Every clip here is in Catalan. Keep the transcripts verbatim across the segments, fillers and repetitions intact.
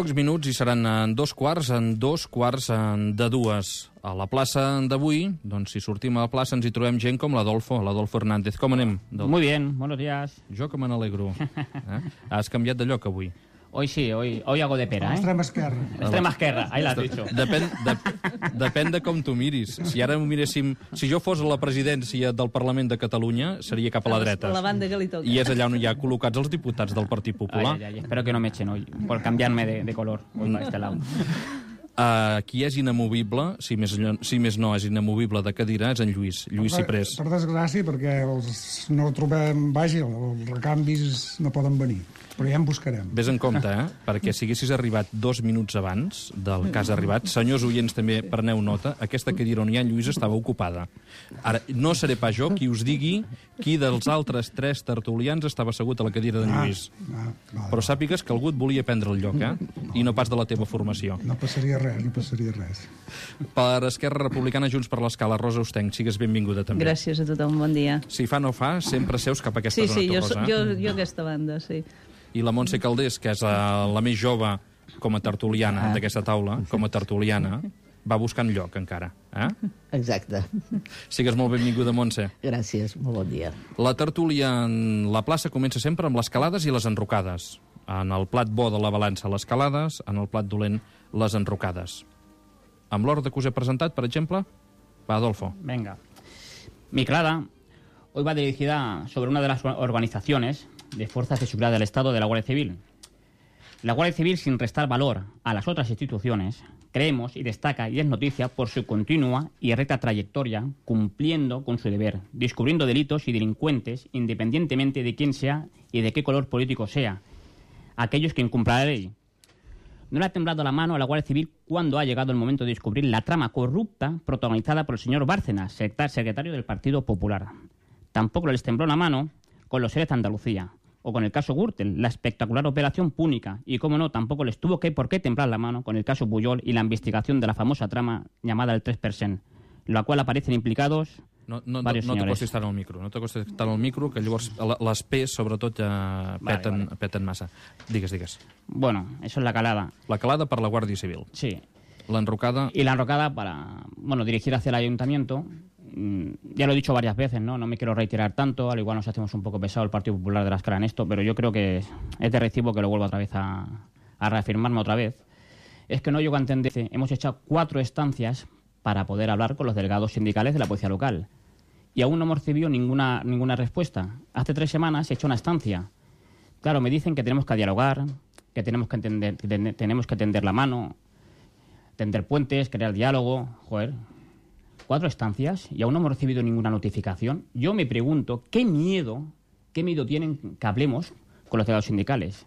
pocs minuts i seran en dos quarts, en dos quarts en de dues. A la plaça d'avui, doncs si sortim a la plaça ens hi trobem gent com l'Adolfo, l'Adolfo Hernández. Com anem? Muy bien, buenos días. Jo que me n'alegro. Eh? Has canviat de lloc avui. Hoy sí, hoy, hoy hago de pera, ¿eh? Extrema esquerra. Extrema esquerra, ahí l'has dicho. Depèn, de, depèn de com tu miris. Si ara ho miréssim... Si jo fos a la presidència del Parlament de Catalunya, seria cap a la dreta. A la banda que li toca. I és allà on hi ha col·locats els diputats del Partit Popular. Ay, ay, ay, espero que no me echen hoy, por cambiarme de, de color, hoy para este lado. Uh, qui és inamovible, si més, si més no és inamovible de cadira, és en Lluís, Lluís Ciprés. Per desgràcia, perquè els no trobem... Vaja, els recanvis no poden venir. Però ja en buscarem. Ves en compte, eh? Perquè si haguessis arribat dos minuts abans del que has arribat, senyors oients també preneu nota, aquesta cadira on hi ha en Lluís estava ocupada. Ara, no seré pas jo qui us digui qui dels altres tres tertulians estava assegut a la cadira d'en Lluís. Ah, ah, vale. Però sàpigues que algú et volia prendre el lloc, eh? I no pas de la teva formació. No passaria res, no passaria res. Per Esquerra Republicana, Junts per l'Escala, Rosa Ostenc, sigues benvinguda també. Gràcies a tothom, bon dia. Si fa no fa, sempre seus cap a aquesta Sí, zona, sí, tu, jo, Rosa. jo, jo aquesta banda, sí. I la Montse Caldés, que és uh, la més jove com a tertuliana ah. d'aquesta taula, com a tertuliana, va buscant lloc encara. Eh? Exacte. Sigues molt benvinguda, Montse. Gràcies, molt bon dia. La tertúlia en la plaça comença sempre amb les calades i les enrocades. En el plat bo de la balança, les calades, en el plat dolent, les enrocades. Amb l'ordre que us he presentat, per exemple, va, Adolfo. Venga. Mi calada hoy va dirigida sobre una de las organizaciones de fuerzas de seguridad del Estado de la Guardia Civil. La Guardia Civil, sin restar valor a las otras instituciones, creemos y destaca y es noticia por su continua y recta trayectoria cumpliendo con su deber, descubriendo delitos y delincuentes independientemente de quién sea y de qué color político sea, aquellos que incumplan la ley. No le ha temblado la mano a la Guardia Civil cuando ha llegado el momento de descubrir la trama corrupta protagonizada por el señor Bárcenas, secretario del Partido Popular. Tampoco les tembló la mano con los seres de Andalucía, o con el caso Gürtel, la espectacular operación Púnica, y como no, tampoco les tuvo que por qué temblar la mano con el caso Pujol y la investigación de la famosa trama llamada el tres per cent, en la cual aparecen implicados no, no, varios no, no señores. t'acostis tant al micro, no t'acostis tant al micro, que llavors les P's, sobretot, ja peten, vale, vale. peten massa. Digues, digues. Bueno, eso es la calada. La calada per la Guàrdia Civil. Sí. L'enrocada... Y la enrocada para, bueno, dirigir hacia el ayuntamiento. Ya lo he dicho varias veces, ¿no? No me quiero reiterar tanto, al igual nos hacemos un poco pesado el Partido Popular de la Escala en esto, pero yo creo que es de recibo que lo vuelva otra vez a, a reafirmarme otra vez. Es que no llego a entender, hemos hecho cuatro estancias para poder hablar con los delegados sindicales de la policía local y aún no hemos recibido ninguna, ninguna respuesta. Hace tres semanas he hecho una estancia. Claro, me dicen que tenemos que dialogar, que tenemos que entender, que ten, tenemos que tender la mano, tender puentes, crear diálogo. Joder, cuatro estancias y aún no hemos recibido ninguna notificación. Yo me pregunto, ¿qué miedo, qué miedo tienen que hablemos con los delegados sindicales?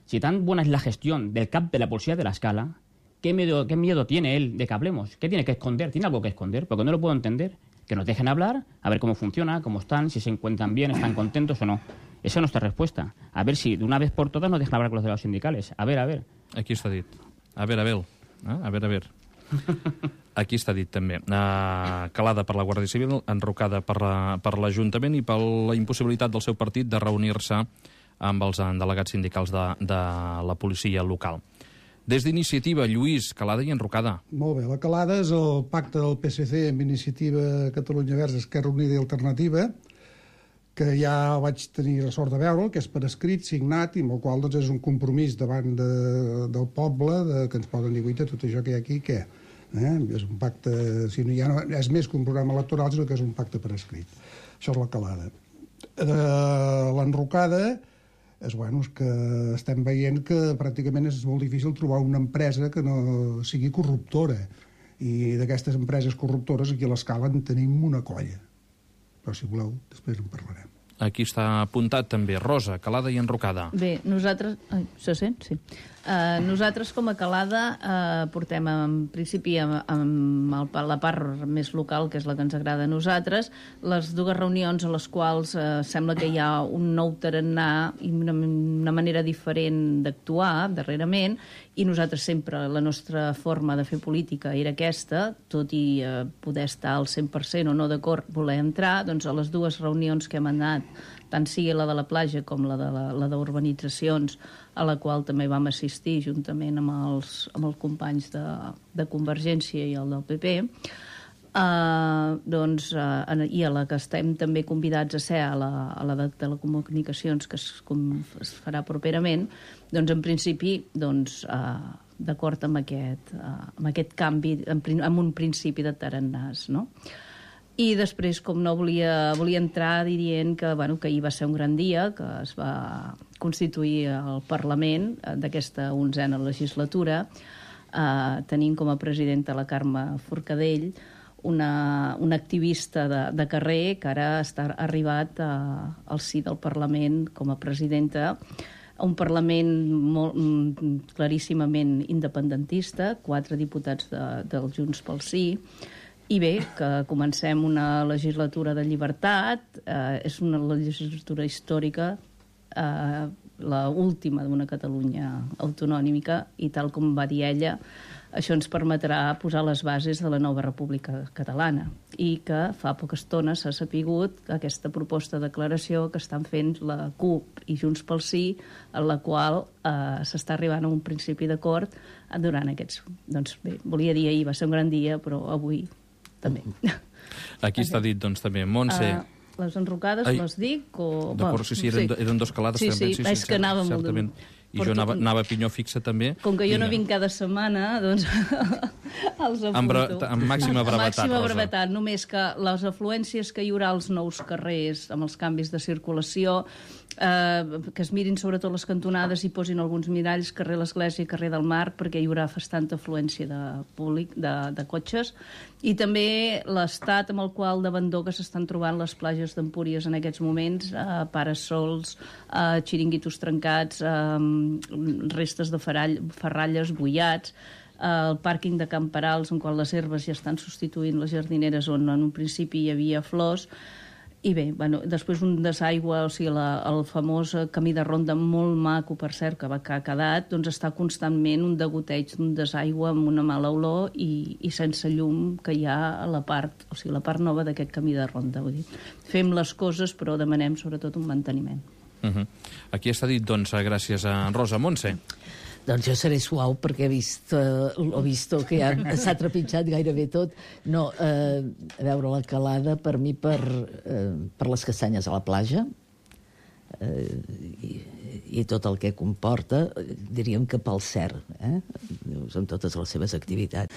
Si tan buena es la gestión del C A P de la Policía de la Escala, ¿qué miedo, qué miedo tiene él de que hablemos? ¿Qué tiene que esconder? ¿Tiene algo que esconder? Porque no lo puedo entender. Que nos dejen hablar, a ver cómo funciona, cómo están, si se encuentran bien, están contentos o no. Esa es nuestra respuesta. A ver si de una vez por todas nos dejan hablar con los delegados sindicales. A ver, a ver. Aquí està dit. A ver, a ver. Eh? A ver, a ver. Aquí està dit també. Uh, calada per la Guàrdia Civil, enrocada per, la, per l'Ajuntament i per la impossibilitat del seu partit de reunir-se amb els delegats sindicals de, de la policia local. Des d'Iniciativa, Lluís, calada i enrocada. Molt bé, la calada és el pacte del P S C amb Iniciativa Catalunya Verds, Esquerra Unida i Alternativa, que ja vaig tenir la sort de veure, que és per escrit, signat, i amb el qual doncs, és un compromís davant de, del poble, de, que ens poden dir, guaita, tot això que hi ha aquí, què? Eh? És un pacte, si no, ja no, és més que un programa electoral, sinó que és un pacte per escrit. Això és la calada. Eh, l'enrocada és, bueno, és que estem veient que pràcticament és molt difícil trobar una empresa que no sigui corruptora. I d'aquestes empreses corruptores aquí a l'Escala en tenim una colla. Però si voleu, després en parlarem. Aquí està apuntat també, Rosa, calada i enrocada. Bé, nosaltres... Ai, se sent? Sí. Uh, nosaltres com a calada uh, portem en principi amb, amb el, la part més local, que és la que ens agrada a nosaltres, les dues reunions a les quals uh, sembla que hi ha un nou tarannà i una, una manera diferent d'actuar darrerament, i nosaltres sempre, la nostra forma de fer política era aquesta, tot i uh, poder estar al cent per cent o no d'acord voler entrar, doncs a les dues reunions que hem anat tant sigui la de la platja com la de la, la d'urbanitzacions, a la qual també vam assistir juntament amb els, amb els companys de, de Convergència i el del P P, Uh, doncs, uh, i a la que estem també convidats a ser a la, a la de telecomunicacions que es, com, es farà properament, doncs en principi doncs, uh, d'acord amb, aquest, uh, amb aquest canvi, en, amb un principi de tarannàs, no? I després, com no, volia, volia entrar dient que, bueno, que ahir va ser un gran dia, que es va constituir el Parlament d'aquesta onzena legislatura, uh, tenint com a presidenta la Carme Forcadell, una, una activista de, de carrer que ara està arribat a, al si del Parlament com a presidenta, un Parlament molt, claríssimament independentista, quatre diputats de, del Junts pel Sí, i bé, que comencem una legislatura de llibertat, eh, és una legislatura històrica, eh, la última d'una Catalunya autonòmica, i tal com va dir ella, això ens permetrà posar les bases de la nova República Catalana, i que fa poca estona s'ha sapigut aquesta proposta de declaració que estan fent la CUP i Junts pel Sí, en la qual eh, s'està arribant a un principi d'acord durant aquests... Doncs bé, volia dir ahir va ser un gran dia, però avui també. Aquí està dit, doncs, també, Montse... Uh... Les enrocades, Ai, les dic? O... D'acord, sí, sí, eren, sí. eren dos calades. Sí, també, sí, sí, és que anava molt... Certament. I jo anava, anava a pinyó fixa també. Com que jo Vinga. no vinc cada setmana, doncs els apunto. Amb, bre amb màxima brevetat, màxima Rosa. brevetat, només que les afluències que hi haurà als nous carrers, amb els canvis de circulació, eh, que es mirin sobretot les cantonades i posin alguns miralls, carrer l'Església i carrer del Mar, perquè hi haurà bastanta afluència de públic, de, de cotxes, i també l'estat amb el qual d'abandó que s'estan trobant les platges d'Empúries en aquests moments, eh, parasols, eh, xiringuitos trencats, eh, restes de ferall, ferralles bullats, eh, el pàrquing de Camperals, en qual les herbes ja estan substituint les jardineres on en un principi hi havia flors. I bé, bueno, després un desaigua, o sigui, la, el famós camí de ronda molt maco, per cert, que, va, que ha quedat, doncs està constantment un degoteig d'un desaigua amb una mala olor i, i sense llum que hi ha a la part, o sigui, la part nova d'aquest camí de ronda. Vull dir, fem les coses, però demanem sobretot un manteniment. Uh -huh. Aquí està dit, doncs, gràcies a Rosa. Montse. Doncs jo seré suau perquè he vist, uh, l'ho vist que ja s'ha trepitjat gairebé tot. No, eh, a veure, la calada per mi per, eh, per les castanyes a la platja eh, i, i tot el que comporta, diríem que pel Cer, eh? Amb totes les seves activitats.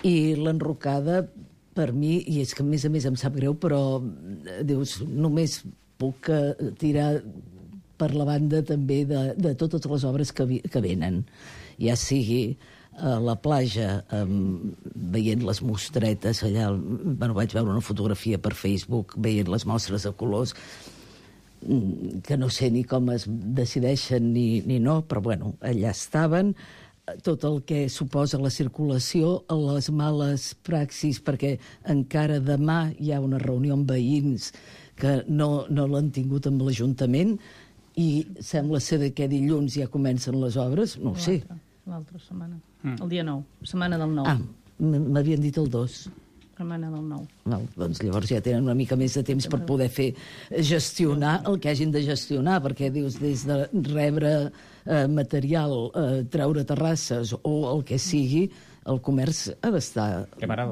I l'enrocada per mi, i és que a més a més em sap greu, però dius, només puc uh, tirar per la banda també de, de totes les obres que, vi, que venen, ja sigui a la platja, um, veient les mostretes allà, bueno, vaig veure una fotografia per Facebook veient les mostres de colors que no sé ni com es decideixen ni, ni no, però bueno, allà estaven, tot el que suposa la circulació, les males praxis, perquè encara demà hi ha una reunió amb veïns que no, no l'han tingut amb l'Ajuntament, i sembla ser que dilluns ja comencen les obres, no ho sé. L'altra setmana, mm. el dia nou, setmana del nou. Ah, m'havien dit el dos. Setmana del nou. Val, doncs llavors ja tenen una mica més de temps per poder fer, gestionar el que hagin de gestionar, perquè dius, des de rebre eh, material, eh, treure terrasses o el que sigui, el comerç ha d'estar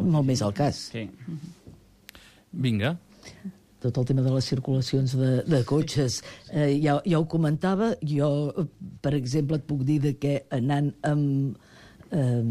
molt més al cas. Sí. Vinga. Tot el tema de les circulacions de, de cotxes, eh, ja, ja ho comentava, jo, per exemple, et puc dir de que anant amb, eh,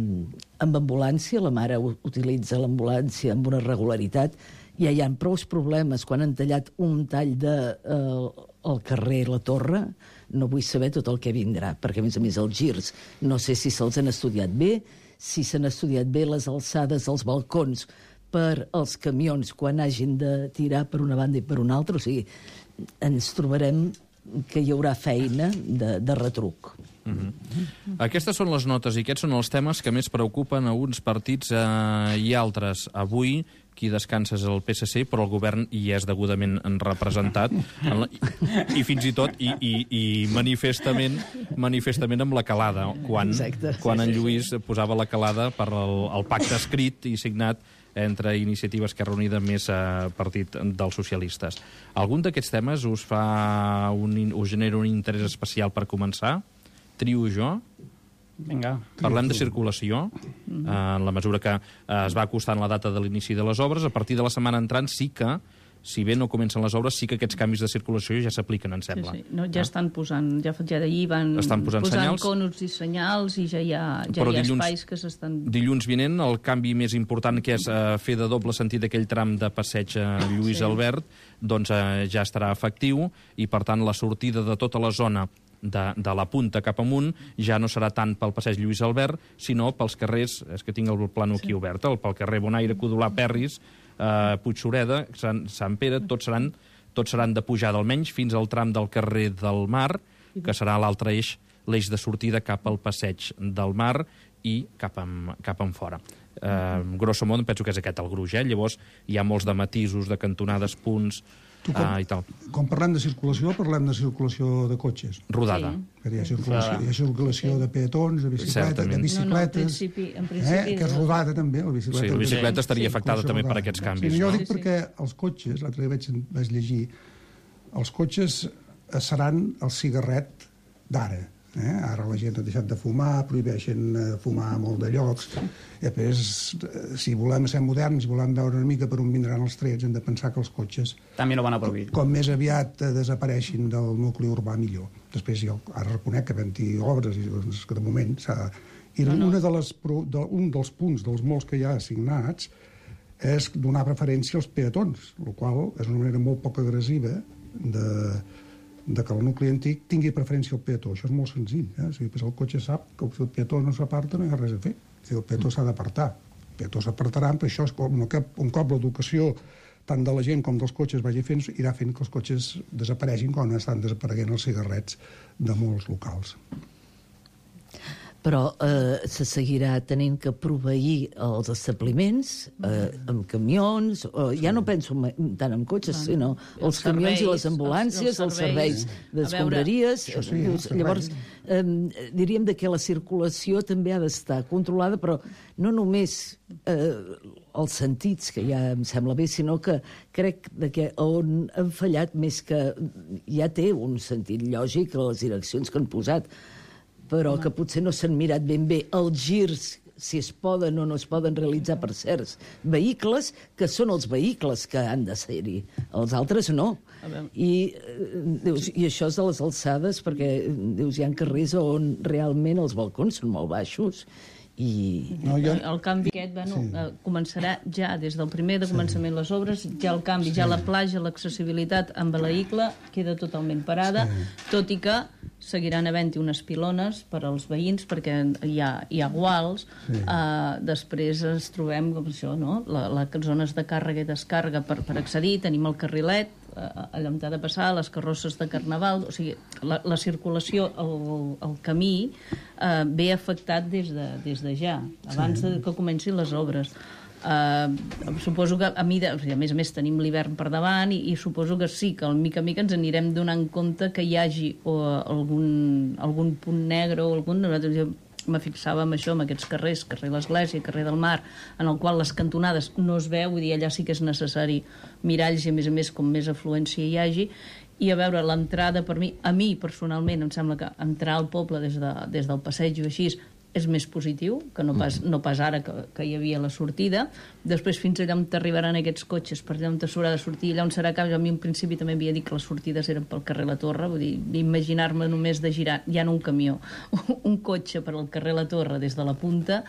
amb ambulància, la mare utilitza l'ambulància amb una regularitat, ja hi ha prou problemes quan han tallat un tall de, eh, al carrer La Torre, no vull saber tot el que vindrà, perquè a més a més els girs, no sé si se'ls han estudiat bé, si s'han estudiat bé les alçades dels balcons, per als camions quan hagin de tirar per una banda i per una altra. O sigui, ens trobarem que hi haurà feina de, de retruc. Mm-hmm. Aquestes són les notes i aquests són els temes que més preocupen a uns partits eh, i altres. Avui qui descansa és el P S C, però el govern hi és degudament representat en la, i, i fins i tot i, i, i manifestament manifestament amb la calada, quan, quan en Lluís posava la calada per el, el pacte escrit i signat entre Iniciativa Esquerra Unida més eh, Partit dels Socialistes. Algun d'aquests temes us fa un, us genera un interès especial per començar? Trio jo? Vinga. Parlem de circulació, eh, en la mesura que eh, es va acostant la data de l'inici de les obres. A partir de la setmana entrant sí que, si bé no comencen les obres, sí que aquests canvis de circulació ja s'apliquen, em sembla. Sí, sí. No, ja estan posant, ja, ja d'ahir van estan posant, posant senyals, conos i senyals i ja hi ha, ja hi ha dilluns, espais que s'estan... Dilluns vinent, el canvi més important, que és eh, fer de doble sentit aquell tram de passeig a Lluís sí. Albert, doncs eh, ja estarà efectiu, i per tant la sortida de tota la zona de, de la punta cap amunt ja no serà tant pel passeig Lluís Albert, sinó pels carrers, és que tinc el plano aquí sí. obert, el, pel carrer Bonaire, Codolà, Perris, Uh, Puigsureda, Sant, Sant Pere, tots seran, tots seran de pujada, almenys fins al tram del carrer del Mar, que serà l'altre eix, l'eix de sortida cap al passeig del Mar i cap en, cap en fora. Uh, grosso modo, penso que és aquest el gruix, eh? Llavors hi ha molts de matisos, de cantonades, punts, Tu, com, uh, i tal. Quan parlem de circulació, parlem de circulació de cotxes. Rodada. Sí. Hi ha circulació, hi ha circulació sí. de peatons, de bicicletes, de bicicletes, no, no, en principi, en principi eh, que és rodada també, la bicicleta. Sí, la bicicleta estaria sí. afectada també rodada. per aquests canvis. Sí, jo no? dic perquè els cotxes, l'altre dia vaig, vaig llegir, els cotxes seran el cigarret d'ara. Eh? Ara la gent ha deixat de fumar, prohibeixen fumar a molt de llocs. I després, si volem ser moderns, si volem veure una mica per on vindran els trets, hem de pensar que els cotxes... També lo van a prohibir. Com més aviat desapareixin del nucli urbà, millor. Després jo ara reconec que havent-hi obres, i doncs, que de moment s'ha... I no, no. Una de les, de, un dels punts dels molts que hi ha assignats és donar preferència als peatons, el qual és una manera molt poc agressiva de... de que el nucli antic tingui preferència al peató. Això és molt senzill. Eh? O sigui, el cotxe sap que si el peató no s'aparta no hi ha res a fer. O sigui, el peató s'ha d'apartar. El peató s'apartarà, però això és com, un cop l'educació tant de la gent com dels cotxes vagi fent, irà fent que els cotxes desapareixin quan estan desapareguent els cigarrets de molts locals. Però eh, se seguirà tenint que proveir els establiments eh, amb camions, o, ja no penso tant en cotxes, sinó els, els camions serveis, i les ambulàncies, els, els serveis, serveis d'escombraries. Sí, llavors, eh, diríem de que la circulació també ha d'estar controlada, però no només eh, els sentits, que ja em sembla bé, sinó que crec de que on han fallat més que ja té un sentit lògic a les direccions que han posat, però que potser no s'han mirat ben bé els girs, si es poden o no es poden realitzar per certs vehicles, que són els vehicles que han de ser-hi. Els altres no. I, dius, i això és de les alçades, perquè dius, hi ha carrers on realment els balcons són molt baixos. I... No, jo... El canvi aquest bueno, sí. eh, començarà ja des del primer de començament sí. les obres, ja el canvi, sí. ja la platja, l'accessibilitat amb el vehicle queda totalment parada, sí. tot i que seguiran havent-hi unes pilones per als veïns perquè hi ha, hi ha guals. Sí. Eh, després ens trobem com això, no? La, les zones de càrrega i descàrrega per, per accedir, tenim el carrilet allà on ha de passar, les carrosses de carnaval, o sigui, la, la circulació, el, el camí eh, ve afectat des de, des de ja, abans sí. de que comencin les obres. Uh, suposo que a, mida, o sigui, a més a més tenim l'hivern per davant i, i suposo que sí, que al mica mica ens anirem donant compte que hi hagi o, algun, algun punt negre o algun... Nosaltres me fixava en això, en aquests carrers, carrer l'Església, carrer del Mar, en el qual les cantonades no es veu, vull dir, allà sí que és necessari miralls i a més a més com més afluència hi hagi, i a veure l'entrada per mi, a mi personalment em sembla que entrar al poble des, de, des del passeig o així és més positiu que no pas, no pas ara que, que hi havia la sortida. Després fins allà on t'arribaran aquests cotxes, per allà on s'haurà de sortir, allà on serà cap. Jo a mi en principi també havia dit que les sortides eren pel carrer La Torre, vull dir, imaginar-me només de girar, ja no un camió, un cotxe per al carrer La Torre des de la punta,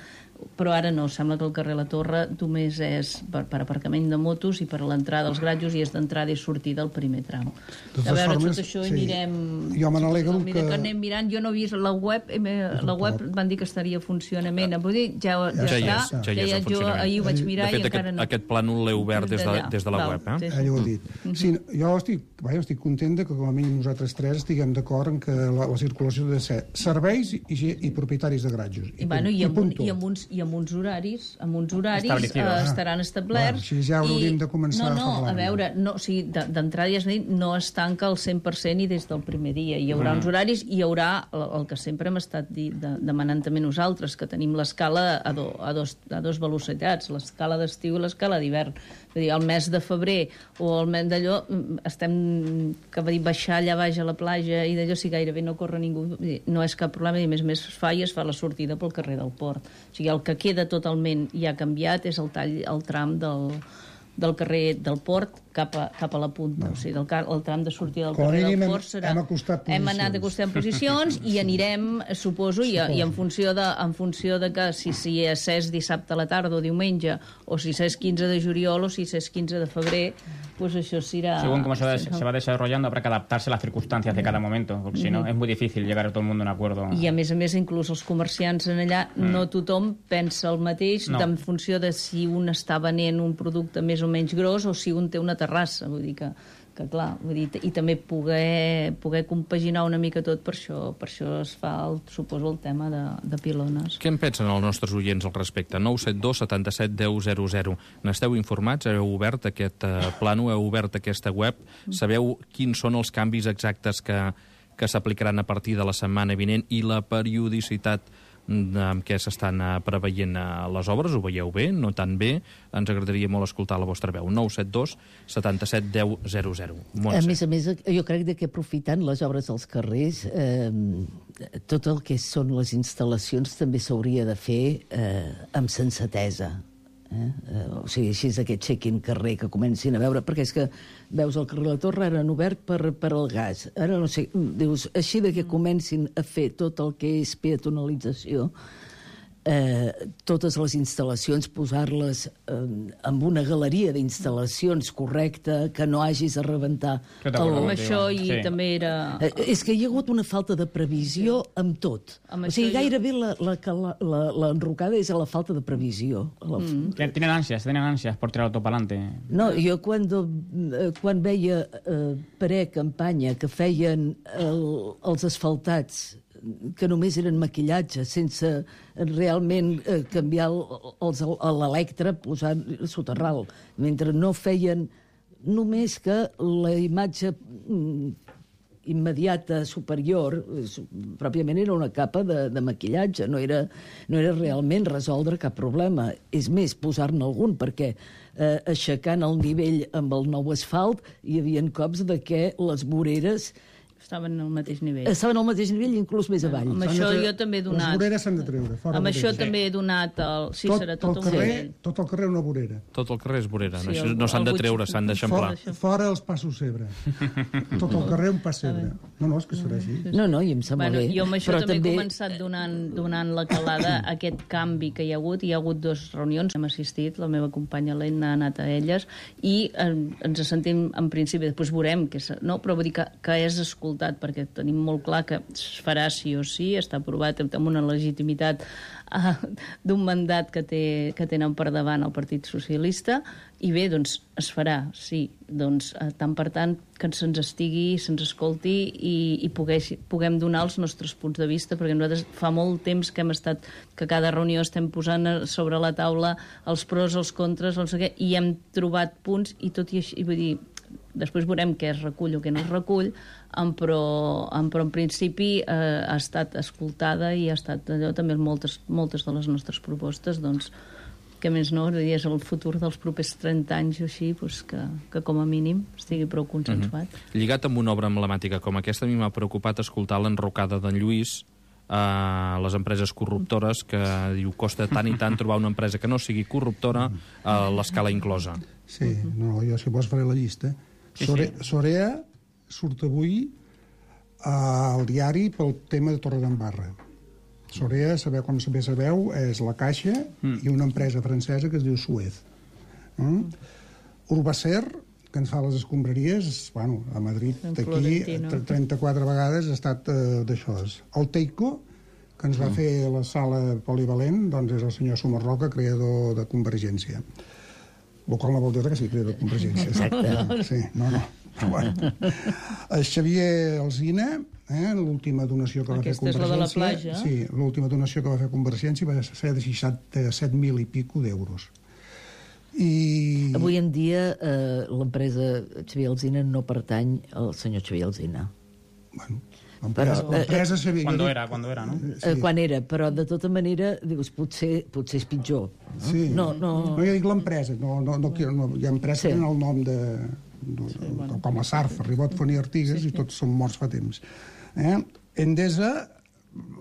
però ara no, sembla que el carrer La Torre només és per, per aparcament de motos i per a l'entrada dels gratjos i és d'entrada i sortida al primer tram. De a veure, formes, tot això sí. anirem... Jo me n'alegro que... que anem mirant, jo no he vist la web, la web van dir que estaria a funcionament, vull dir, ja, ja, ja, ja està, ja, ja, ja jo ahir ho vaig mirar de fet, i encara aquest, no... aquest plànol l'he obert des de, des de la Val, web, eh? Sí, sí. Ja ho he dit. Sí, jo estic, vaja, estic content que com a mínim nosaltres tres estiguem d'acord en que la, la circulació ha de ser serveis i, i propietaris de gratjos. I, I, bueno, i, amb, un, i, amb uns, i amb uns horaris, amb uns horaris eh, Establecidos. estaran establerts. Bueno, així ja hauríem i- de començar no, a no, parlar-ne. a veure, no, o sigui, de- d'entrada ja has dit, no es tanca al cent per cent i des del primer dia. Hi haurà uns horaris, i hi haurà el, el que sempre hem estat di, de, demanant també nosaltres, que tenim l'escala a, do, a, dos, a dos velocitats, l'escala d'estiu i l'escala d'hivern. Vull dir, el mes de febrer o el mes d'allò, mm, estem, que va dir, baixar allà baix a la platja i d'allò, si gairebé no corre ningú, vull dir, no és cap problema, i a més a més es fa i es fa la sortida pel carrer del Port. O sigui, el que queda totalment ja canviat és el tall, el tram del, del carrer del Port cap a, cap a la punta. No. O sigui, el, car- el tram de sortida del Com a carrer mínim del hem- Port serà... hem acostat Hem anat posicions. acostant posicions i anirem, suposo, i, i en, funció de, en funció de que si, si és ses dissabte a la tarda o diumenge, o si és quinze de juliol o si és quinze de febrer, pues això será... Según cómo se va, se va desarrollando, habrá que adaptarse a las circunstancias de cada momento, porque si no, es muy difícil llegar a todo el mundo a un acuerdo. I a més a més, inclús els comerciants en allà, mm. no tothom pensa el mateix No. en funció de si un està venent un producte més o menys gros o si un té una terrassa. Vull dir que, que clar, vull dir, i també poder, poder compaginar una mica tot, per això, per això es fa, el, suposo, el tema de, de pilones. Què en pensen els nostres oients al respecte? nou set dos setanta-set deu zero zero. N'esteu informats? Heu obert aquest eh, plano? Heu obert aquesta web? Sabeu quins són els canvis exactes que, que s'aplicaran a partir de la setmana vinent i la periodicitat amb què s'estan eh, preveient eh, les obres? Ho veieu bé? No tan bé? Ens agradaria molt escoltar la vostra veu. nou set dos setanta-set deu zero zero. A més a més, jo crec que aprofitant les obres dels carrers, eh, tot el que són les instal·lacions també s'hauria de fer eh, amb sensatesa. Eh? Eh, o sigui, així és aquest check-in carrer que comencin a veure, perquè és que veus el carrer de la Torre, ara han obert per, per al gas, ara no sé, dius, així de que comencin a fer tot el que és peatonalització, eh, totes les instal·lacions, posar-les eh, amb una galeria d'instal·lacions correcta, que no hagis de rebentar Jo d'acord Amb contigo. això i Sí. també era... Eh, és que hi ha hagut una falta de previsió amb tot. Amb O sigui, això jo- gairebé la, la, la, la, l'enrocada és a la falta de previsió. A la... Mm. Tien- Tienen ansias, tienen ansias por tirar todo para adelante. No, jo quan, eh, quan veia eh, pre-campanya que feien el, els asfaltats que només eren maquillatge, sense realment eh, canviar el- els, l'electre, posar soterral, mentre no feien només que la imatge mm, immediata superior, eh, su- pròpiament era una capa de, de maquillatge, no era, no era realment resoldre cap problema. És més, posar-ne algun, perquè eh, aixecant el nivell amb el nou asfalt hi havia cops de que les voreres Estaven al mateix nivell. estaven al mateix nivell, inclús més avall. Amb S'han de això tre- jo també he donat... Les voreres s'han de treure, fora Amb voreres. això també he donat el... Sí, tot, serà el tot un carrer, nivell. tot el carrer una vorera. Tot el carrer és vorera. Sí, No, Això el- no s'han el de butxí- treure, s'han d'eixamplar. Fora, fora els passos cebre. Tot el carrer un pas cebre. No, no, és que serà així. No, no, i em sembla Bueno, bé. jo amb això Però també, he començat donant, donant la calada a aquest canvi que hi ha hagut. Hi ha hagut dues reunions, hem assistit, la meva companya Helena ha anat a elles, i eh, ens sentim, en principi, després veurem, que és, no, però vull dir que, que és escoltat, perquè tenim molt clar que es farà sí o sí, està aprovat amb una legitimitat uh, d'un mandat que, té, que tenen per davant el Partit Socialista, i bé, doncs es farà, sí. Doncs, uh, tant per tant, que se'ns estigui, se'ns escolti i, i pogués, puguem donar els nostres punts de vista, perquè nosaltres fa molt temps que hem estat, que cada reunió estem posant sobre la taula els pros, els contres, no sé què, i hem trobat punts, i tot i així, vull dir, després veurem què es recull o què no es recull, em, però, em, però en principi eh, ha estat escoltada i ha estat allò també moltes, moltes de les nostres propostes, doncs, que més no, és el futur dels propers trenta anys o així, doncs que, que com a mínim estigui prou consensuat. Mm-hmm. Lligat amb una obra emblemàtica com aquesta, a mi m'ha preocupat escoltar l'enrocada d'en Lluís a les empreses corruptores, que diu costa tant i tant trobar una empresa que no sigui corruptora a l'escala inclosa. Sí, no, jo si vols faré la llista. Sí, Sore, sí. Sorea surt avui al diari pel tema de Torredembarra. Sorea, sabeu com bé sabeu, és la Caixa mm. i una empresa francesa que es diu Suez. Mm? Urbacer, que ens fa les escombraries, bueno, a Madrid, En d'aquí, Florentino. trenta-quatre vegades ha estat eh, d'això. El Teico, que ens va mm. fer la sala polivalent, doncs és el senyor Sumarroca, creador de Convergència. el qual no vol dir que sigui crida de Convergència. Exacte. Sí, no, no. Bueno. El Xavier Alsina, eh, l'última donació que va Aquesta fer és la de la Convergència... platja. Sí, l'última donació que va fer Convergència va ser de seixanta-set mil i pico d'euros. I... Avui en dia eh, l'empresa Xavier Alsina no pertany al senyor Xavier Alsina. Bueno, l'empresa, Però, eh, l'empresa Xavier... Cuando era, cuando era, ¿no? Eh, quan era, però de tota manera dius, potser, potser és pitjor. No? Sí. No, no... No, jo dic l'empresa, no, no, no, no, hi ha empreses Sí. que tenen el nom de, de, sí, bueno. com la Sarf, Ribot, Foní, Artigues, sí, sí. I tots són morts fa temps. Eh? Endesa,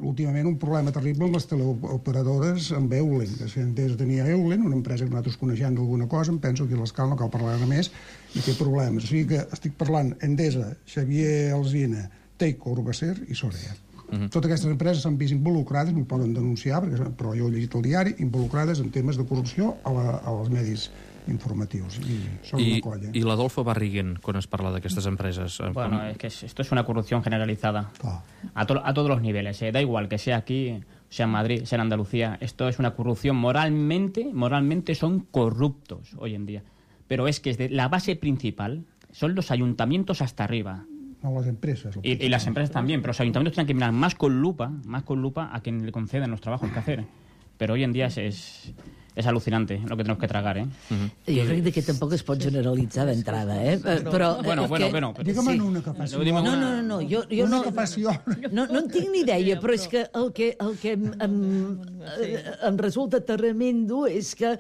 últimament un problema terrible amb les teleoperadores amb Eulen, que si Endesa tenia Eulen, una empresa que nosaltres coneixem d'alguna cosa, em penso que a l'escala no cal parlar de més, i té problemes. O sigui que estic parlant Endesa, Xavier Alsina, Teico, Urbacer i Sorea. Uh -huh. Totes aquestes empreses s'han vist involucrades, no ho poden denunciar, perquè, però jo he llegit el diari, involucrades en temes de corrupció a, la, als medis informatius. I són I, una colla. i l'Adolfo Barriguen, quan es parla d'aquestes empreses? eh, Bueno, com- es que es- esto es una corrupción generalizada Clar. a, to- a todos los niveles. eh. Da igual que sea aquí, sea en Madrid, sea en Andalucía. Esto es una corrupción moralmente, moralmente son corruptos hoy en día. Pero es que es de- la base principal son los ayuntamientos hasta arriba. No, les empreses. el Y, y las empresas también, pero los ayuntamientos tienen que mirar más con lupa, más con lupa a quien le conceden los trabajos que hacer. Pero hoy en día es, es, es alucinante lo que tenemos que tragar, ¿eh? Jo crec que tampoc es pot generalitzar d'entrada, eh? Però, Bueno, eh, bueno, que- bueno. Però... Digue'm Sí. una que faci. No, digue'm No, una- no, no, no, jo, jo Una no... que faci obra. No, no en tinc ni idea, però és que el que, el que em, em, eh, em resulta tremendo és que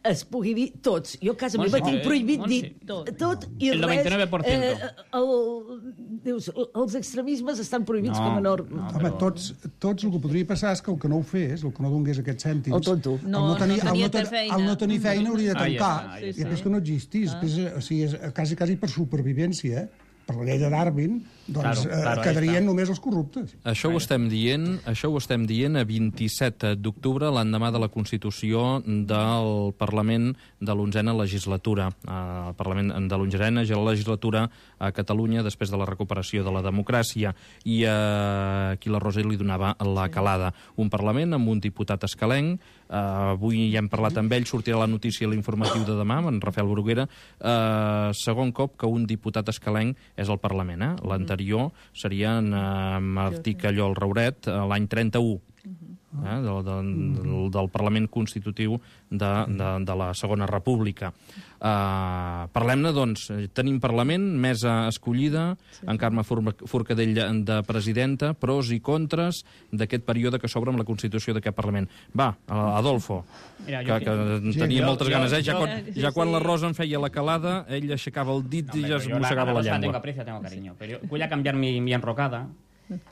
es pugui dir tots. Jo a casa Montse, meva tinc eh, prohibit Montse. dir tot i El res. noventa-nueve por ciento. el, dius, els extremismes estan prohibits No, com a norma. no. Home, tots, tots el que podria passar és que el que no ho fes, el que no donés aquests cèntims... El tonto. el No, no, tenir, no el tenia no, ten, feina. el no tenir feina hauria de Ahí tancar, està, ahí i està. després que no existís. Després, o sigui, és quasi, quasi per supervivència, eh? Per la llei de Darwin, doncs Claro, claro, eh, ahí quedarien està. només els corruptes. Això ho estem dient, això ho estem dient a vint-i-set d'octubre, l'endemà de la Constitució del Parlament de l'onzena legislatura. El Parlament de l'onzena legislatura a Catalunya després de la recuperació de la democràcia. I eh, aquí la Rosa li donava la calada. Un Parlament amb un diputat escalenc. Eh, avui ja hem parlat amb ell, sortirà la notícia a l'informatiu de demà, amb en Rafael Bruguera. Eh, segon cop que un diputat escalenc és al Parlament, eh? L'anterior seria en eh, Martí Callol Rauret, eh, l'any trenta-u, eh? del, del, del Parlament Constitutiu de, de, de la Segona República. Uh, Parlem-ne, doncs, tenim Parlament, mesa escollida, sí, en Carme Forcadell de presidenta, pros i contres d'aquest període que s'obre amb la Constitució d'aquest Parlament. Va, Adolfo, Mira, que, jo- que Sí, tenia jo- moltes jo- ganes, eh? Ja, jo- quan, ja quan la Rosa em feia la calada, ell aixecava el dit i Hombre, ja pero es yo la- mossegava a la Rosa Tengo llengua. aprecio, tengo cariño. Pero yo voy a cambiar mi, mi enrocada.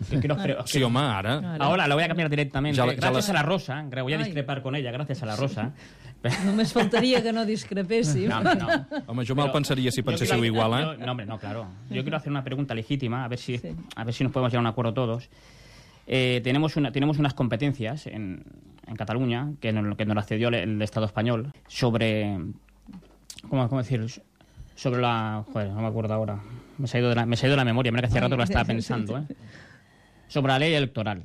Que quiero hacer- Sí, home, ara... Ahora la voy a cambiar directamente. Ya la- ya gracias la- a la Rosa. Voy a Ay. discrepar con ella, gracias a la Rosa. Només faltaria que no discrepéssim. No, hombre, no. Home, jo me'l Pero pensaria si yo penséssiu quiero- igual, eh? yo- no, hombre, no, claro. Yo quiero hacer una pregunta legítima, a ver si, Sí. a ver si nos podemos llegar a un acuerdo todos. Eh, tenemos, una, tenemos unas competencias en, en Cataluña, que nos, que nos las cedió el, el Estado español, sobre... ¿Cómo, cómo decir? Sobre la... Joder, no me acuerdo ahora. Me se ha ido de la, me se ha ido de la memoria, mira que hacía rato que la estaba pensando, ¿eh? Sobre la ley electoral.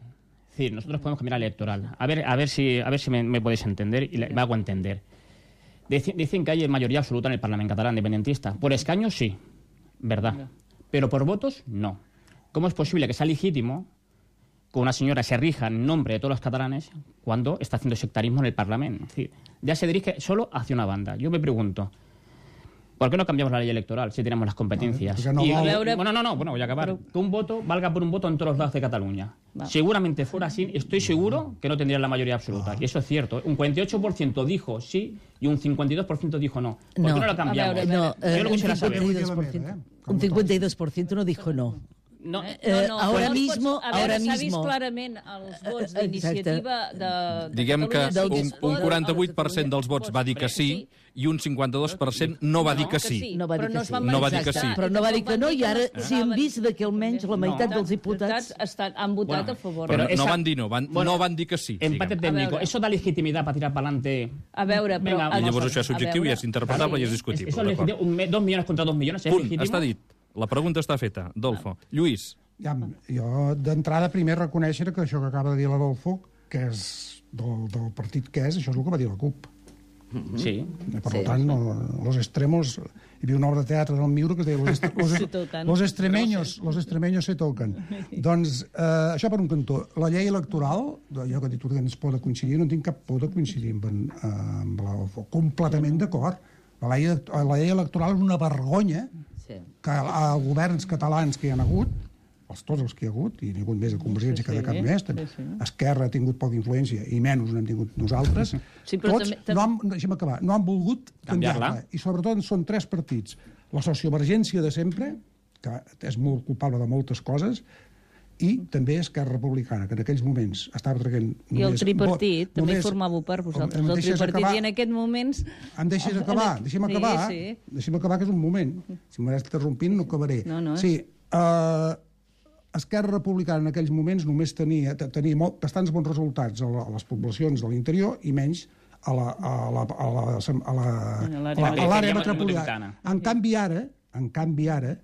Es decir, nosotros podemos cambiar la ley electoral. A ver, a ver si, a ver si me, me podéis entender y le, me hago entender. Dici- Dicen que hay mayoría absoluta en el Parlamento catalán independentista. Por escaños, sí, verdad. Pero por votos, no. ¿Cómo es posible que sea legítimo que una señora se rija en nombre de todos los catalanes cuando está haciendo sectarismo en el Parlamento? Es decir, ya se dirige solo hacia una banda. Yo me pregunto, ¿por qué no cambiamos la ley electoral si tenemos las competencias? Porque no Y- vol- A veure- bueno, no, no, bueno, voy a acabar. Que un voto valga por un voto en todos los lados de Cataluña. Va. Seguramente fuera así, estoy seguro que no tendrían la mayoría absoluta. Y eso es cierto. Un cuarenta y ocho por ciento dijo sí y un cincuenta y dos por ciento dijo no. ¿Por No. qué no lo A cambiamos? veure, No, Yo eh, lo un quisiera saber. cincuenta y dos por ciento, un cincuenta y dos por ciento no dijo no. No, Eh, ahora no es mismo, pots- a veure, ahora s'ha vist mismo. clarament els vots Eh, d'iniciativa de, de Diguem que Catalunya Sí un, que es un pot, quaranta-vuit per cent dels vots va dir que sí i un cinquanta-dos per cent no va dir que sí. No va dir però que es sí. van No va dir que manifestar. sí. Però no va dir que no, i ara es sí hem posaven- vist que almenys la meitat No. dels diputats... estan, han votat Bueno, a favor. Però Pero no esa- van dir no, van, Bueno, no van dir que sí. empate diguem. técnico. veure. ¿Eso da legitimidad para tirar para adelante? A veure, però... Venga, I vamos llavors a- això és subjectiu a i veure. és interpretable i és ¿Eso discutible. es d'acord. legítimo? Un me- dos millones contra dos millones, ¿es Punt, legítimo? està dit. La pregunta està feta. Adolfo. Lluís. Ja, jo d'entrada primer reconèixer que això que acaba de dir l'Adolfo, que és del, del partit que és, això és el que va dir la CUP. Sí. Per Sí. tant, no, los extremos... Hi havia una obra de teatre del Miura que es deia Los, est los, Se tocan. los extremeños, los extremeños se toquen. Doncs, eh, això per un cantó. La llei electoral, jo que he dit que ens pot coincidir, no tinc cap por de coincidir amb, en, amb la... completament d'acord. La, llei, la llei electoral és una vergonya Sí. que a governs catalans que hi ha hagut, els, tots els que hi ha hagut, i n'hi ha hagut més de Convergència Sí, que de sí, cap més, sí, sí. Esquerra ha tingut poca influència, i menys n'hem tingut nosaltres, Sí, però tots també- també- no han, deixa'm acabar, no han volgut Canviar-la. canviar-la. I sobretot són tres partits. La sociovergència de sempre, que és molt culpable de moltes coses, i també Esquerra Republicana, que en aquells moments estava traient... I el només tripartit vot- també només- formàveu per vosaltres. Em El deixes tripartit acabar? i en aquests moments... Em deixes acabar, deixa'm Sí, acabar, sí. deixa'm acabar, que és un moment. Si m'estàs interrompint, no acabaré. No, no. Sí, uh, Esquerra Republicana en aquells moments només tenia, tenia molt, bastants bons resultats a, la, a les poblacions de l'interior i menys a la, a la, a la, a la, En a l'àrea la, a l'àrea metropolitana. metropolitana. En canvi ara, en canvi ara,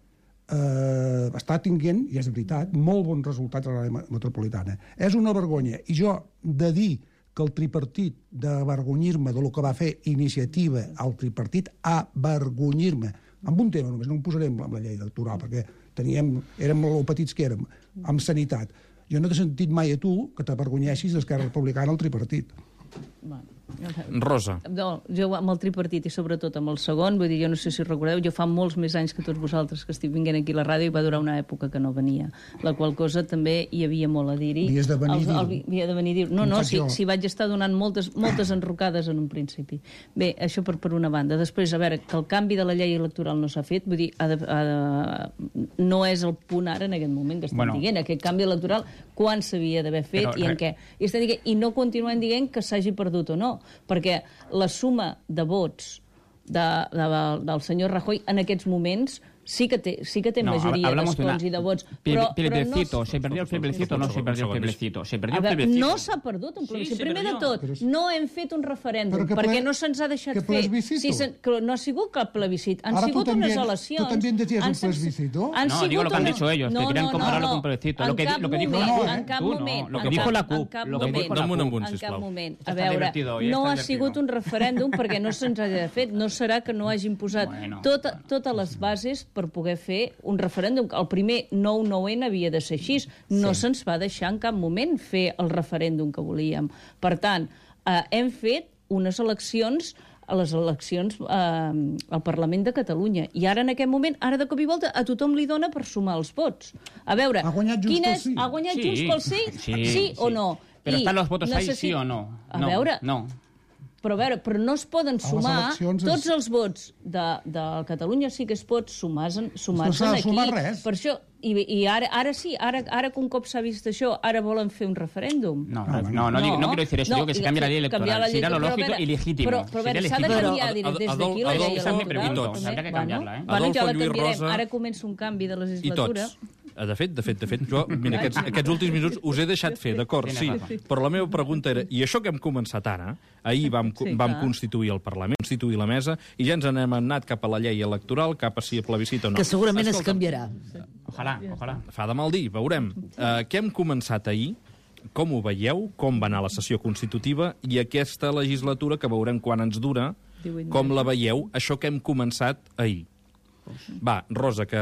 eh, està tinguent, i és veritat, molt bons resultats a l'àrea metropolitana. És una vergonya. I jo, de dir que el tripartit, d'avergonyir-me de lo que va fer Iniciativa al tripartit, avergonyir-me, amb un tema només, no em posaré amb la llei electoral, perquè teníem, érem molt petits que érem, amb sanitat. Jo no t'he sentit mai a tu que t'avergonyeixis d'Esquerra Republicana al tripartit. Bueno, Rosa. no, jo amb el tripartit i sobretot amb el segon, vull dir, jo no sé si recordeu, jo fa molts més anys que tots vosaltres que estic vinguent aquí a la ràdio i va durar una època que no venia, la qual cosa també hi havia molt a dir-hi. Havies de venir a dir-ho. Havia de venir a dir-ho. No, Com no, faig si, jo. si vaig estar donant moltes, moltes enrocades en un principi. Bé, això per, per una banda. Després, a veure, que el canvi de la llei electoral no s'ha fet, vull dir, ha de, ha de, no és el punt ara en aquest moment que estem Bueno. dient, aquest canvi electoral, quan s'havia d'haver fet Però, i en re- què. I, estem dient, I no continuem dient que s'hagi perdut o no, perquè la suma de vots de, de, del senyor Rajoy en aquests moments sí que té, sí que té No, majoria hablamos de una- d'escons i de vots. Ple- Però, plebiscito, però no, ¿se perdió el plebiscito o no se perdió el Segons. plebiscito? Se perdió a el veure, plebiscito. no s'ha perdut un Sí, plebiscit. se Primer de perdió. tot, Però- no hem fet un referèndum, Però que ple- perquè no se'ns ha deixat que fer. plebiscito? Si se, que no ha sigut cap plebiscit, han Ara tu sigut també- unes tu eleccions. també decías Han un sen- plebiscito? han No, sigut digo lo que han una- dicho ellos, que querían compararlo con un plebiscito. En Lo que di- cap lo que dijo- moment, No, no, en cap tú no, moment, lo que en dijo cap- la CUP, en cap lo que moment. dijo la Dame un CUP. amunt, En cap sisplau. moment. Esto A está veure, divertido hoy, no está ha divertido. sigut un referèndum perquè no se'ns ha fet. No serà que no hagin posat Bueno, tot, bueno. totes les bases per poder fer un referèndum. El primer nou nou ene havia de ser així. No Sí. se'ns va deixar en cap moment fer el referèndum que volíem. Per tant, eh, hem fet unes eleccions a les eleccions eh, al Parlament de Catalunya. I ara, en aquest moment, ara de cop i volta, a tothom li dona per sumar els vots. A veure, Ha guanyat Junts quin pel és- Sí. Ha guanyat Sí, Junts pel Sí? sí, sí o sí. no? Pero I están los votos ahí, necessi- sí o no. A No, veure, no. però, a veure, però no es poden sumar eleccions és- tots els vots de, de Catalunya sí que es pot sumar, sumar No s'ha de aquí. sumar res. Per això, i, i ara, ara sí, ara, ara que un cop s'ha vist això, ara volen fer un referèndum. No, No, no, no. no, digo- no quiero decir eso, No, digo que se i- cambia la ley canviar electoral. la llei- Sería lo però, a lógico veure, y legítimo. Però, però a veure, Sería s'ha de legítimo. canviar Ad- des Ad- d'aquí la Adolf- llei Adolf, electoral. esa es mi pregunta. també. Habría que cambiarla, ¿eh? Bueno, Adolfo ja la Lluís canviarem. Rosa. Ara comença un canvi de I legislatura. tots. Eh, De fet, de fet, de fet, jo, mira, aquests, aquests últims minuts us he deixat fer, d'acord, sí, Tienes razón. però la meva pregunta era, i això que hem començat ara, ahir vam, Sí, vam clar. constituir el Parlament, constituir la mesa, i ja ens n'hem anat cap a la llei electoral, cap a si a plebiscit o no. Que segurament es Escolta, canviarà. Ojalá, ojalà. Fa de mal dir, veurem. Uh, què hem començat ahir? Com ho veieu? Com va anar la sessió constitutiva? I aquesta legislatura, que veurem quan ens dura, divuit com la veieu, això que hem començat ahir? Va, Rosa, que,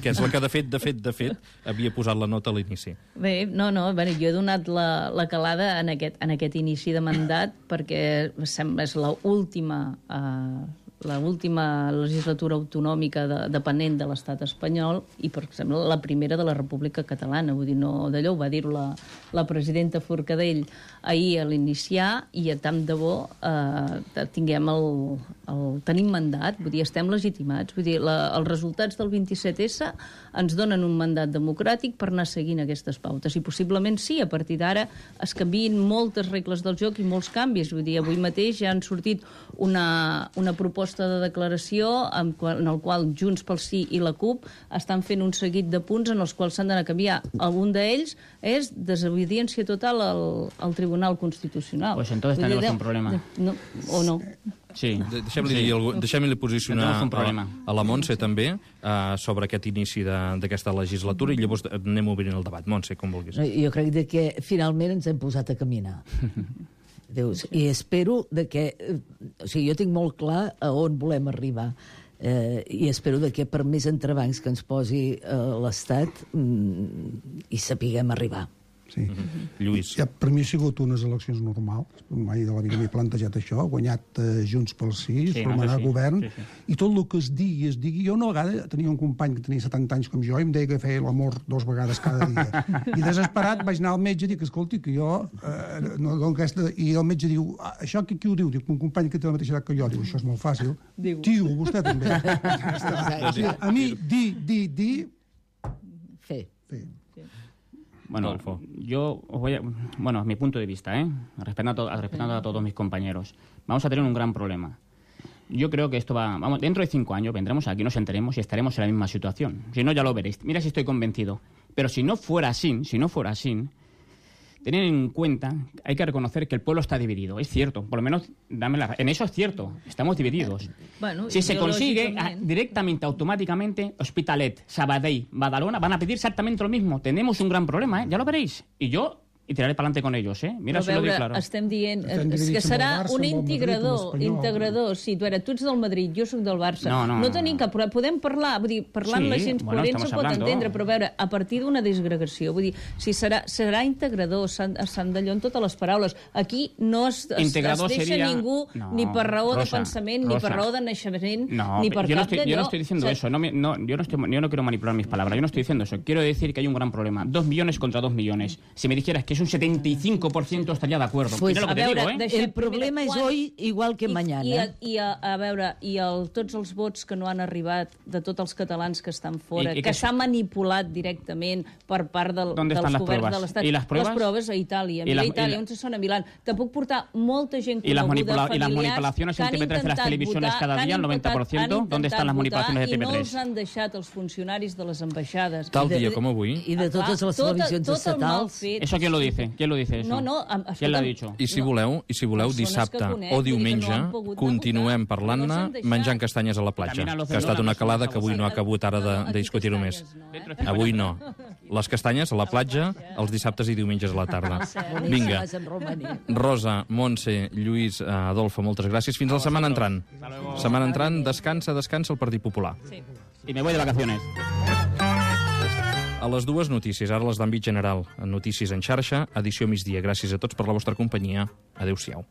que és la que de fet, de fet, de fet, havia posat la nota a l'inici. Bé, no, no, bueno, jo he donat la, la calada en aquest, en aquest inici de mandat perquè sembla és l'última eh, l'última legislatura autonòmica de, dependent de l'estat espanyol i, per exemple, la primera de la República Catalana. Vull dir, no d'allò, ho va dir la, la presidenta Forcadell ahir a l'iniciar i a tant de bo eh, tinguem el, el... tenim mandat, vull dir, estem legitimats. Vull dir, la, els resultats del vint-i-set essa ens donen un mandat democràtic per anar seguint aquestes pautes. I possiblement sí, a partir d'ara es canviïn moltes regles del joc i molts canvis. Vull dir, avui mateix ja han sortit una, una proposta de declaració en, qual, en el qual Junts pel Sí i la CUP estan fent un seguit de punts en els quals s'han d'anar a canviar. Un d'ells és desobediència total al, al Tribunal Constitucional. Pues entonces Vull dir, tenemos de- un problema. de- No, o no. Sí. De- Deixem-li Sí. dir algú- deixem-li posicionar Tenemos un a, problema. a la Montse també uh, sobre aquest inici de- d'aquesta legislatura i llavors anem obrint el debat. Montse, com vulguis. No, jo crec de que finalment ens hem posat a caminar. Dius, i espero de que... O sigui, jo tinc molt clar a on volem arribar. Eh, I espero de que per més entrebancs que ens posi eh, l'Estat mm, hi sapiguem arribar. Sí. Mm-hmm. Lluís. Ja, per mi ha sigut unes eleccions normals. Mai de la vida m'he plantejat això. guanyat eh, Junts pel Sí, Sí, formarà no, sí. govern. Sí, sí. I tot el que es digui, es digui... Jo una vegada tenia un company que tenia setanta anys com jo i em deia que feia l'amor dos vegades cada dia. I desesperat vaig anar al metge i dic, escolti, que jo... Eh, no, no, aquesta... I el metge diu, ah, això qui, qui ho diu? Dic, un company que té la mateixa edat que jo. Diu, això és molt fàcil. Diu. Tio, vostè també. O sigui, a mi, di, di, di... Fer. Fer. Bueno, Adolfo. yo os voy a... Bueno, a mi punto de vista, ¿eh? Respetando a, to- respetando a todos mis compañeros. Vamos a tener un gran problema. Yo creo que esto va... Vamos, dentro de cinco años vendremos aquí, nos enteremos y estaremos en la misma situación. Si no, ya lo veréis. Mira si estoy convencido. Pero si no fuera así, si no fuera así, tener en cuenta, hay que reconocer que el pueblo está dividido. Es cierto, por lo menos, dame la... En eso es cierto, estamos divididos. Bueno, Si se consigue, ideológicamente. ah, directamente, automáticamente, Hospitalet, Sabadell, Badalona van a pedir exactamente lo mismo. Tenemos un gran problema, ¿eh? Ya lo veréis. Y yo y tiraré para adelante con ellos, ¿eh? Mira, Però se lo digo veure, claro. estem dient Estem eh, dividits que amb serà el Barça, un amb el Madrid, amb integrador, l'Espanyol. integrador. Sí, tu, era, tu ets del Madrid, jo sóc del Barça. No, no, no, tenim no. cap problema. Podem parlar, vull dir, parlant Sí, la gent bueno, coherent estamos se pot hablando. entendre, però a veure, a partir d'una disgregació, vull dir, si serà, serà integrador, s'han d'allò en totes les paraules. Aquí no es, es, Integrador es deixa sería- ningú No, ni per raó de Rosa, pensament, ni Rosa. per raó de naixement, No, ni per yo no, cap estoy, yo no d'allò. estoy diciendo O sea, eso. No, me- no, yo, no estoy, yo no quiero manipular mis palabras. Yo no estoy diciendo eso. Quiero decir que hay un gran problema. Dos millones contra dos millones. Si me dijeras que es un setenta y cinco por ciento estaría de acuerdo. Pues, Mira lo que a te veure, digo, ¿eh? deixem El problema primer, és quan- hoy igual que I, mañana. I, a, i a, a veure, i el, tots els vots que no han arribat de tots els catalans que estan fora, I- i que que- s'ha manipulat directament per part del, ¿Dónde dels están las governs pruebas? de l'Estat. ¿Y las pruebas? Les proves a Itàlia. ¿Y Mira, las- a Itàlia, y la- on se són a Milán. Te puc portar molta gent ¿Y las, coneguda, manipula- y las familiars, manipulaciones que en han T V tres de las intentat televisiones votar, cada que día, han el noventa por ciento? intentat ¿Dónde están las votar manipulaciones de I no T V els tres? han deixat els funcionaris de les ambaixades. Tal I de- dia com avui. I de totes Ah, les tot- televisions tot el mal estatals. fet. ¿Eso quién lo dice? ¿Quién lo dice eso? No, no, em- ¿Quién lo ha escolta'm, dicho? I si No. voleu, i si voleu Persones dissabte que conec, o vull dir que no diumenge, han pogut continuem votar, parlant-ne no s'han deixat. menjant castanyes a la platja, También a los que ha estat de una Lola calada no que avui se no ha acabut ara No, no, de, aquí de discutir-ho més. castanyes no, eh? Avui no. Les castanyes a la platja, els dissabtes i diumenges a la tarda. Vinga. Boníssimes en romaní. Rosa, Montse, Lluís, eh, Adolfo, moltes gràcies. Fins la setmana entrant. Setmana entrant, descansa, descansa el Partit Popular. Y me voy de vacaciones. A les dues notícies, ara les d'àmbit general. Notícies en xarxa, edició migdia. Gràcies a tots per la vostra companyia. Adéu-siau.